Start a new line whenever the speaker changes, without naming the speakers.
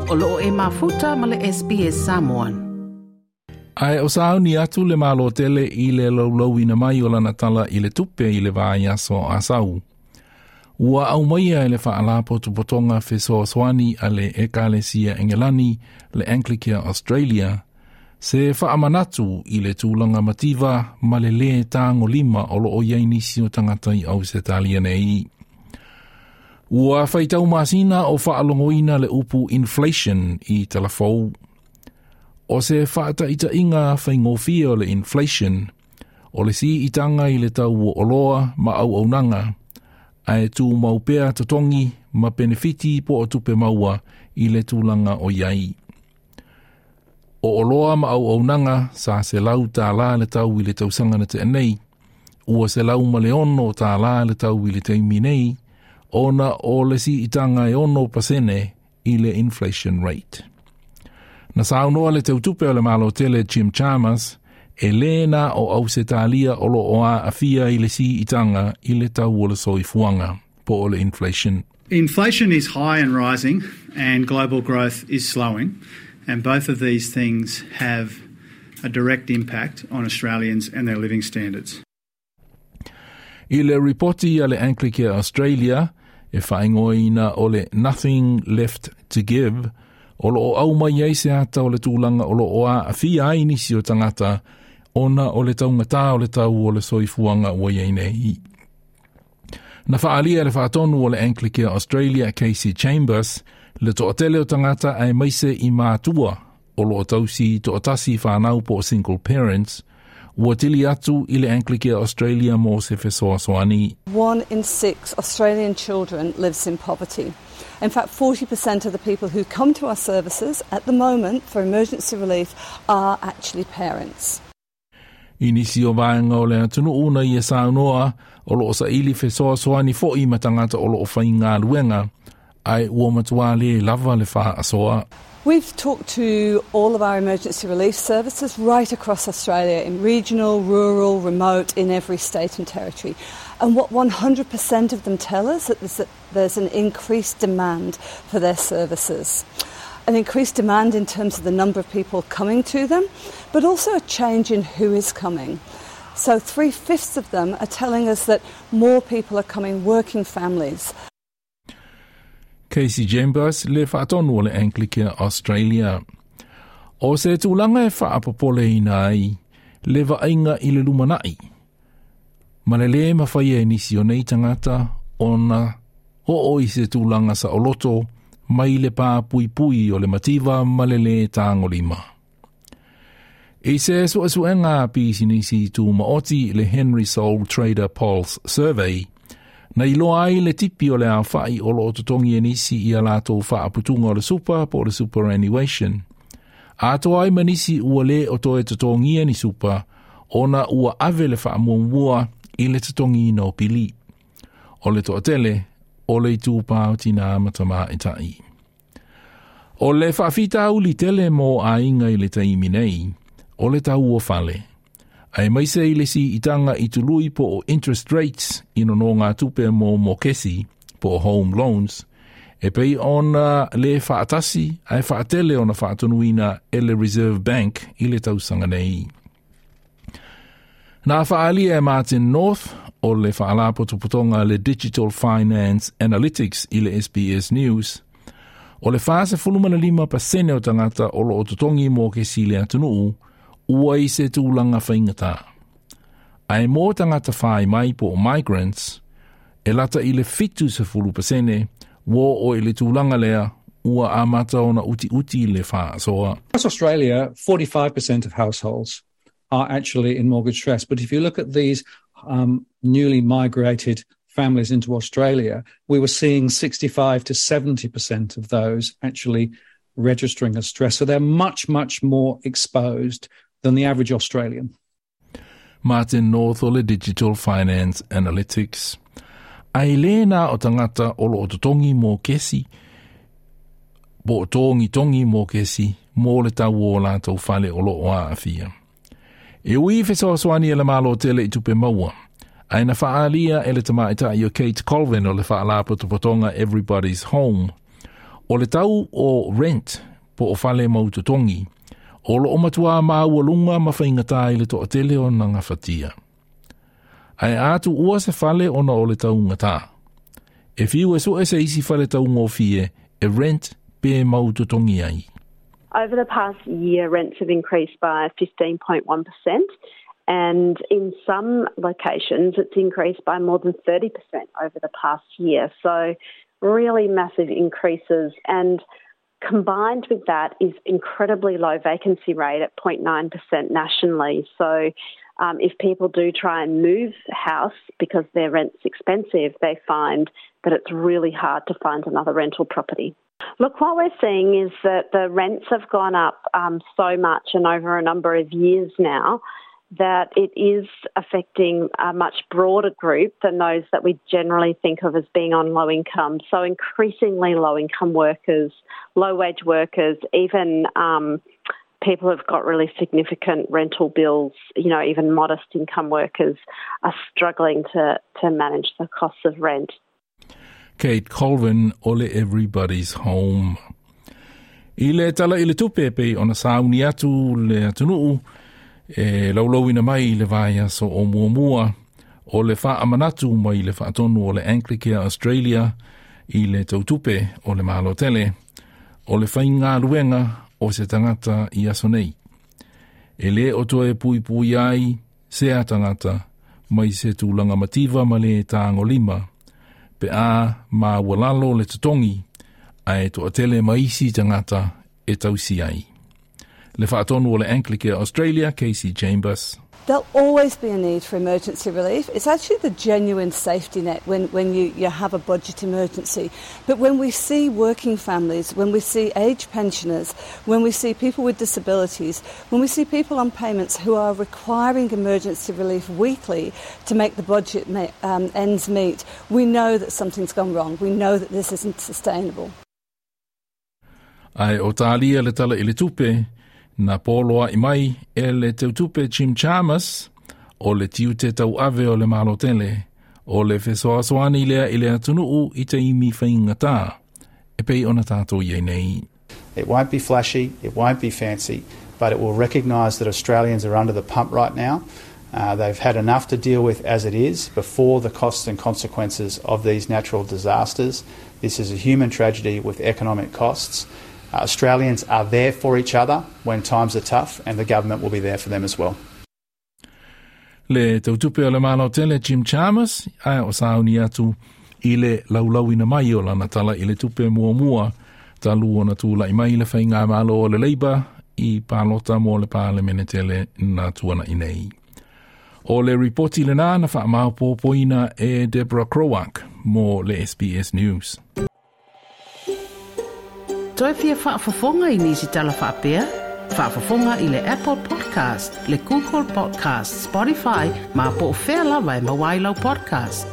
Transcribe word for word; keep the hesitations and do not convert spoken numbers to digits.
O loo e mafuta ma le S B S Samoan.
Ae o sauni atu le malo tele i le laulauina mai o lana tala i le tupe i le vai aso asau. Ua au maia e le whaalapotopotonga fesoasoani a le Ekalesia Engelani le Anglicare Australia se whaamanatu i le tūlanga mativa ma le le tāngo lima o loo iai nisi o tangata i Ausetalia nei. Ua whaitau masina o whaalongoina le upu inflation i talafou. O se whaataitainga whaingofia o le inflation, o le si itanga i le tau o oloa ma au aunanga, ae tū maupea totongi ma benefiti po o tupe maua i le tūlanga o iai. O oloa ma au aunanga sa se lau tā la le tau i le tausanga na te nei, ua se lau ma le ono tā la le tau i le teimi nei, ona o le si itanga e ono pasene i le inflation rate. Na saunoa le tautupe o le malo tele Jim Chalmers, e lena o Ausetalia o lo oa afia i le si itanga i le tau o le soifuanga, po o le inflation.
Inflation is high and rising and global growth is slowing, and both of these things have a direct impact on Australians and their living standards.
I le ripoti a le Anglicare Australia, e whaingoina o le Nothing Left to Give, o lo o au mai ai se ata o le tūlanga o lo oa afia ai nisi o tangata, ona o le taungata o le tau o le soifuanga ua iai nei. Na whaalia le whaatonu o le Anglicare Australia Casey Chambers, le toatele o tangata ai maise i mātua o lo o tausi toatasi whanau po single parents, ua tili atu i le Anglicare Australia mo se fesoasoani.
One in six Australian children lives in poverty. In fact, forty percent of the people who come to our services at the moment for emergency relief are actually parents.
I nisi o vaenga o le atunuu na ia saunoa o lo o saili fesoasoani fo'i ma tangata o lo o whainga luenga, ai ua matua le lava le whaasoa.
We've talked to all of our emergency relief services right across Australia, in regional, rural, remote, in every state and territory. And what one hundred percent of them tell us is that there's an increased demand for their services. An increased demand in terms of the number of people coming to them, but also a change in who is coming. So three-fifths of them are telling us that more people are coming, working families.
Casey Chambers le whaatonu o le Anglicare Australia. O se tūlanga e whaapopole ina ai, le vainga i le lumanai. Ma le le mawhai e nisi o nei tangata ona o i se tūlanga sa oloto mai le pā pui pui o le mativa ma le le tāngolima. I se suasuenga pisinisi tū maoti le Henry Sole Trader Pulse Survey, na iloa ai le tipi o le awhai o lo o totongi e nisi i a lātou whaaputunga o le super po o le superannuation. Atoa ai manisi ua le o toe totongia ni super, ona ua ave le whaamuamua i le totongi no pili. O le toatele, o le tūpā o tina matama e tai. O le whaafita uli tele mō ainga i le taimi nei, o le tau o fale. Ai maise i le si itanga i tului po o interest rates i no ngā tupe mō mokesi po o home loans, e pei ona le whaatasi ai whaatele ona whaatonuina e le Reserve Bank i le tausanga nei. Nā whaalia e Martin North o le whaalapotopotonga le Digital Finance Analytics i le S B S News, o le whaase fulumana lima pasene o tangata o lo o totongi mō ke si le atunuu, ua i se tūlanga whaingata. Ai mō tangata whai mai po o migrants, e lata i le fitu se fulu pasene, wō o i le tūlanga lea, ua amata ona uti uti le whaasoa.
Across Australia, forty-five percent of households are actually in mortgage stress. But if you look at these um, newly migrated families into Australia, we were seeing sixty-five to seventy percent of those actually registering as stress. So they're much, much more exposed than the average Australian.
Martin North o le Digital Finance Analytics. Ai lena o tangata o lo o totongi mō kesi, po tongi tongi mō kesi, mō le tau o lātou fale o lo o aafia. E ui fesoasoani e le malo tele i tupe maua. Ai na whaalia e le tamaitai o Kate Colvin o le whaalapotopotonga Everybody's Home. O O le tau o rent po o fale mautotogi, o loo matuā maualuga ma faigata i le toatele ona gafatia. Ae a tuua se fale ona o le taugata. E fiu e sue se isi fale taugofie e rent pe mautotogi ai.
Over the past year, rents have increased by fifteen point one percent, and in some locations, it's increased by more than thirty percent over the past year. So, really massive increases. And combined with that is incredibly low vacancy rate at zero point nine percent nationally. So, um, if people do try and move house because their rent's expensive, they find that it's really hard to find another rental property. Look, what we're seeing is that the rents have gone up um, so much and over a number of years now that it is affecting a much broader group than those that we generally think of as being on low income. So, increasingly low income workers, low wage workers, even um, people who've got really significant rental bills, you know, even modest income workers are struggling to, to manage the costs of rent.
Kate Colvin o le Everybody's Home. I le tala i le tupe pei ona sauni atu le atunuu e laulauina mai i le vaiaso o muamua o le faamanatu mai le faatonu o le Anglicare Australia i le tautupe o le Malo tele o le faigaluega o se tagata i aso nei. E le o toe puipui ai se a tagata mai se tulaga mativa ma le tagolima pe a maualalo le totogi ae toatele ma isi tagata e tausi ai. Le faatonu o le Anglicare Australia, Kasy Chambers.
There'll always be a need for emergency relief. It's actually the genuine safety net when, when you, you have a budget emergency. But when we see working families, when we see age pensioners, when we see people with disabilities, when we see people on payments who are requiring emergency relief weekly to make the budget ma- um, ends meet, we know that something's gone wrong. We know that this isn't sustainable.
Ae o talia le tala i le tupe, na poloai mai e le teutupe Jim Chalmers o le tiute tauave o le Malo tele, o le fesoasoani lea i le atunuu i taimi faigata, e pei ona tatou i ai nei.
It won't be flashy, it won't be fancy, but it will recognise that Australians are under the pump right now. Uh, they've had enough to deal with as it is before the costs and consequences of these natural disasters. This is a human tragedy with economic costs. Uh, Australians are there for each other when times are tough, and the government will be there for them as well.
Le tautupe o le Malo tele Jim Chalmers, ae o sauni atu i le laulauina mai o lana tala i le tupe muamua talu ona tulai mai le faigamalo o le Labour i palota mo le palemene tele na tuana'i nei. O le ripoti lena na faamaopoopoina e Deborah Krowak mo le S B S News.
Toe fia faafofoga i nisi tala faapea? Faafofoga i le Apple Podcast, le Google Podcast, Spotify, ma po o fea lava e maua ai lau podcast.